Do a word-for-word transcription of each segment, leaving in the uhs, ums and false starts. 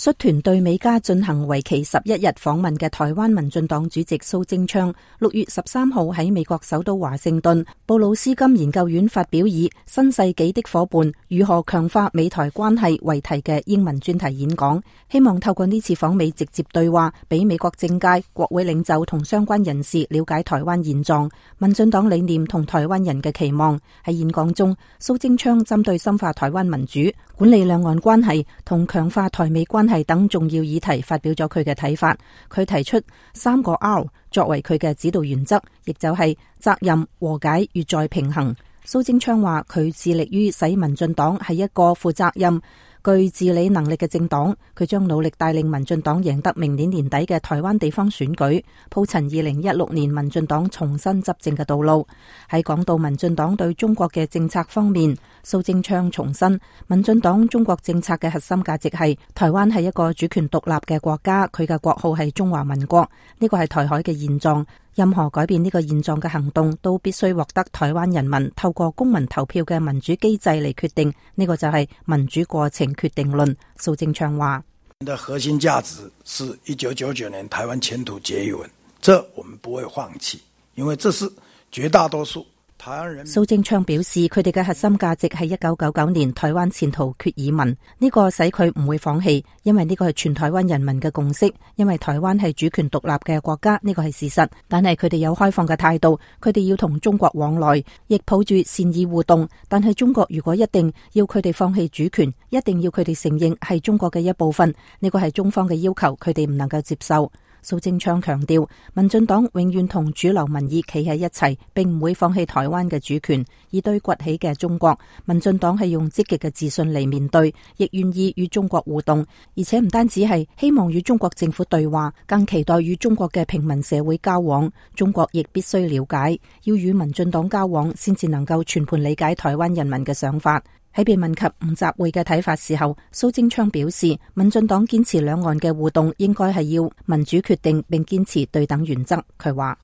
率團對美加進行為期十一日訪問嘅台灣民進黨主席蘇貞昌，六月十三號喺美國首都華盛頓布魯斯金研究院發表以新世紀的夥伴如何強化美台關係為題嘅英文專題演講，希望透過呢次訪美直接對話，俾美國政界、國會領袖同相關人士了解台灣現狀、民進黨理念同台灣人嘅期望。喺演講中，蘇貞昌針對深化台灣民主、管理兩岸關係同強化台美關係等重要議題發表咗佢嘅睇法。佢提出三個 R 作為佢嘅指導原則，亦就係責任、和解與再平衡。蘇貞昌話佢致力於使民進黨係一個負責任、具治理能力嘅政黨，佢將努力帶領民進黨贏得明年年底嘅台灣地方選舉，鋪陳二零一六年民進黨重新執政嘅道路。喺講到民進黨對中國嘅政策方面，蘇貞昌重申民進黨中國政策嘅核心價值係台灣係一個主權獨立嘅國家，佢嘅國號係中華民國，呢個係台海嘅現狀。任何改變呢個現狀嘅行動都必須獲得台灣人民透過公民投票嘅民主機制嚟決定，呢個就係民主過程決定論。蘇貞昌話：的核心價值是一九九九年台灣前途決議文，這我們不會放棄，因為這是絕大多數台灣人。蘇貞昌表示，佢哋嘅核心價值係一九九九年台灣前途決議文，呢個使佢唔會放棄，因為呢個係全台灣人民嘅共識，因為台灣係主權獨立嘅國家，呢個係事實。但係佢哋有開放嘅態度，佢哋要同中國往來，亦抱住善意互動。但係中國如果一定要佢哋放棄主權，一定要佢哋承認係中國嘅一部分，呢個係中方嘅要求，佢哋唔能夠接受。蘇貞昌強調，民進黨永遠同主流民意企喺一齊，並唔會放棄台灣嘅主權。而對崛起嘅中國，民進黨係用積極嘅自信嚟面對，亦願意與中國互動，而且唔單止係希望與中國政府對話，更期待與中國嘅平民社會交往。中國亦必須了解，要與民進黨交往，先至能夠全盤理解台灣人民嘅想法。喺被問及吳習會嘅睇法時候，蘇貞昌表示，民進黨堅持兩岸嘅互動應該係要民主決定，並堅持對等原則。佢話：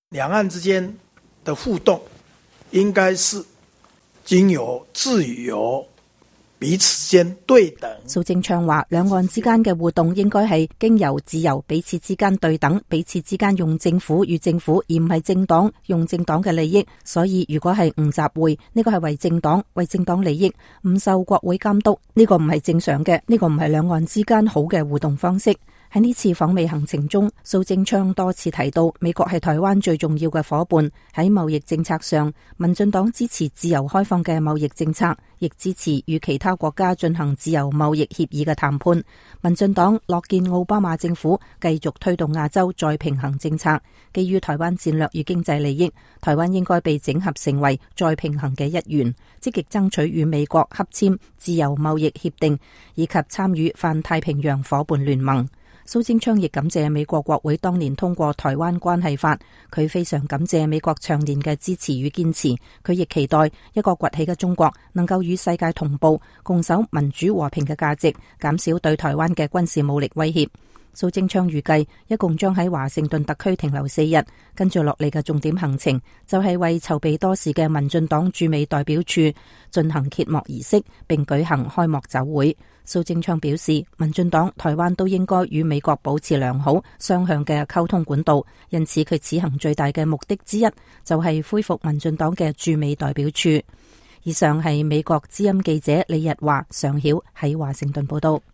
兩岸之間的互動應該是經由自由彼此間對等。蘇貞昌話，兩岸之間嘅互動應該係經由自由彼此之間對等，彼此之間用政府與政府，而唔係政黨用政黨嘅利益。所以如果係吳習會，呢個係為政黨為政黨利益，唔受國會監督，呢個唔係正常嘅，呢個唔係兩岸之間好嘅互動方式。喺呢次訪美行程中，蘇貞昌多次提到美國係台灣最重要嘅夥伴。喺貿易政策上，民進黨支持自由開放嘅貿易政策，亦支持與其他國家進行自由貿易協議嘅談判。民進黨樂見奧巴馬政府繼續推動亞洲再平衡政策，基於台灣戰略與經濟利益，台灣應該被整合成為再平衡嘅一員，積極爭取與美國洽簽自由貿易協定，以及參與泛太平洋夥伴聯盟。蘇貞昌亦感謝美國國會當年通過台灣關係法，佢非常感謝美國長年嘅支持與堅持，佢亦期待一個崛起嘅中國能夠與世界同步，共守民主和平嘅價值，減少對台灣嘅軍事武力威脅。蘇貞昌預計一共將喺華盛頓特區停留四日，跟住落嚟嘅重點行程就係為籌備多時嘅民進黨駐美代表處進行揭幕儀式，並舉行開幕酒會。蘇貞昌表示，民進黨、台灣都應該與美國保持良好雙向嘅溝通管道，因此佢此行最大嘅目的之一就係恢復民進黨嘅駐美代表處。以上係美國之音記者李日華、常曉喺華盛頓報道。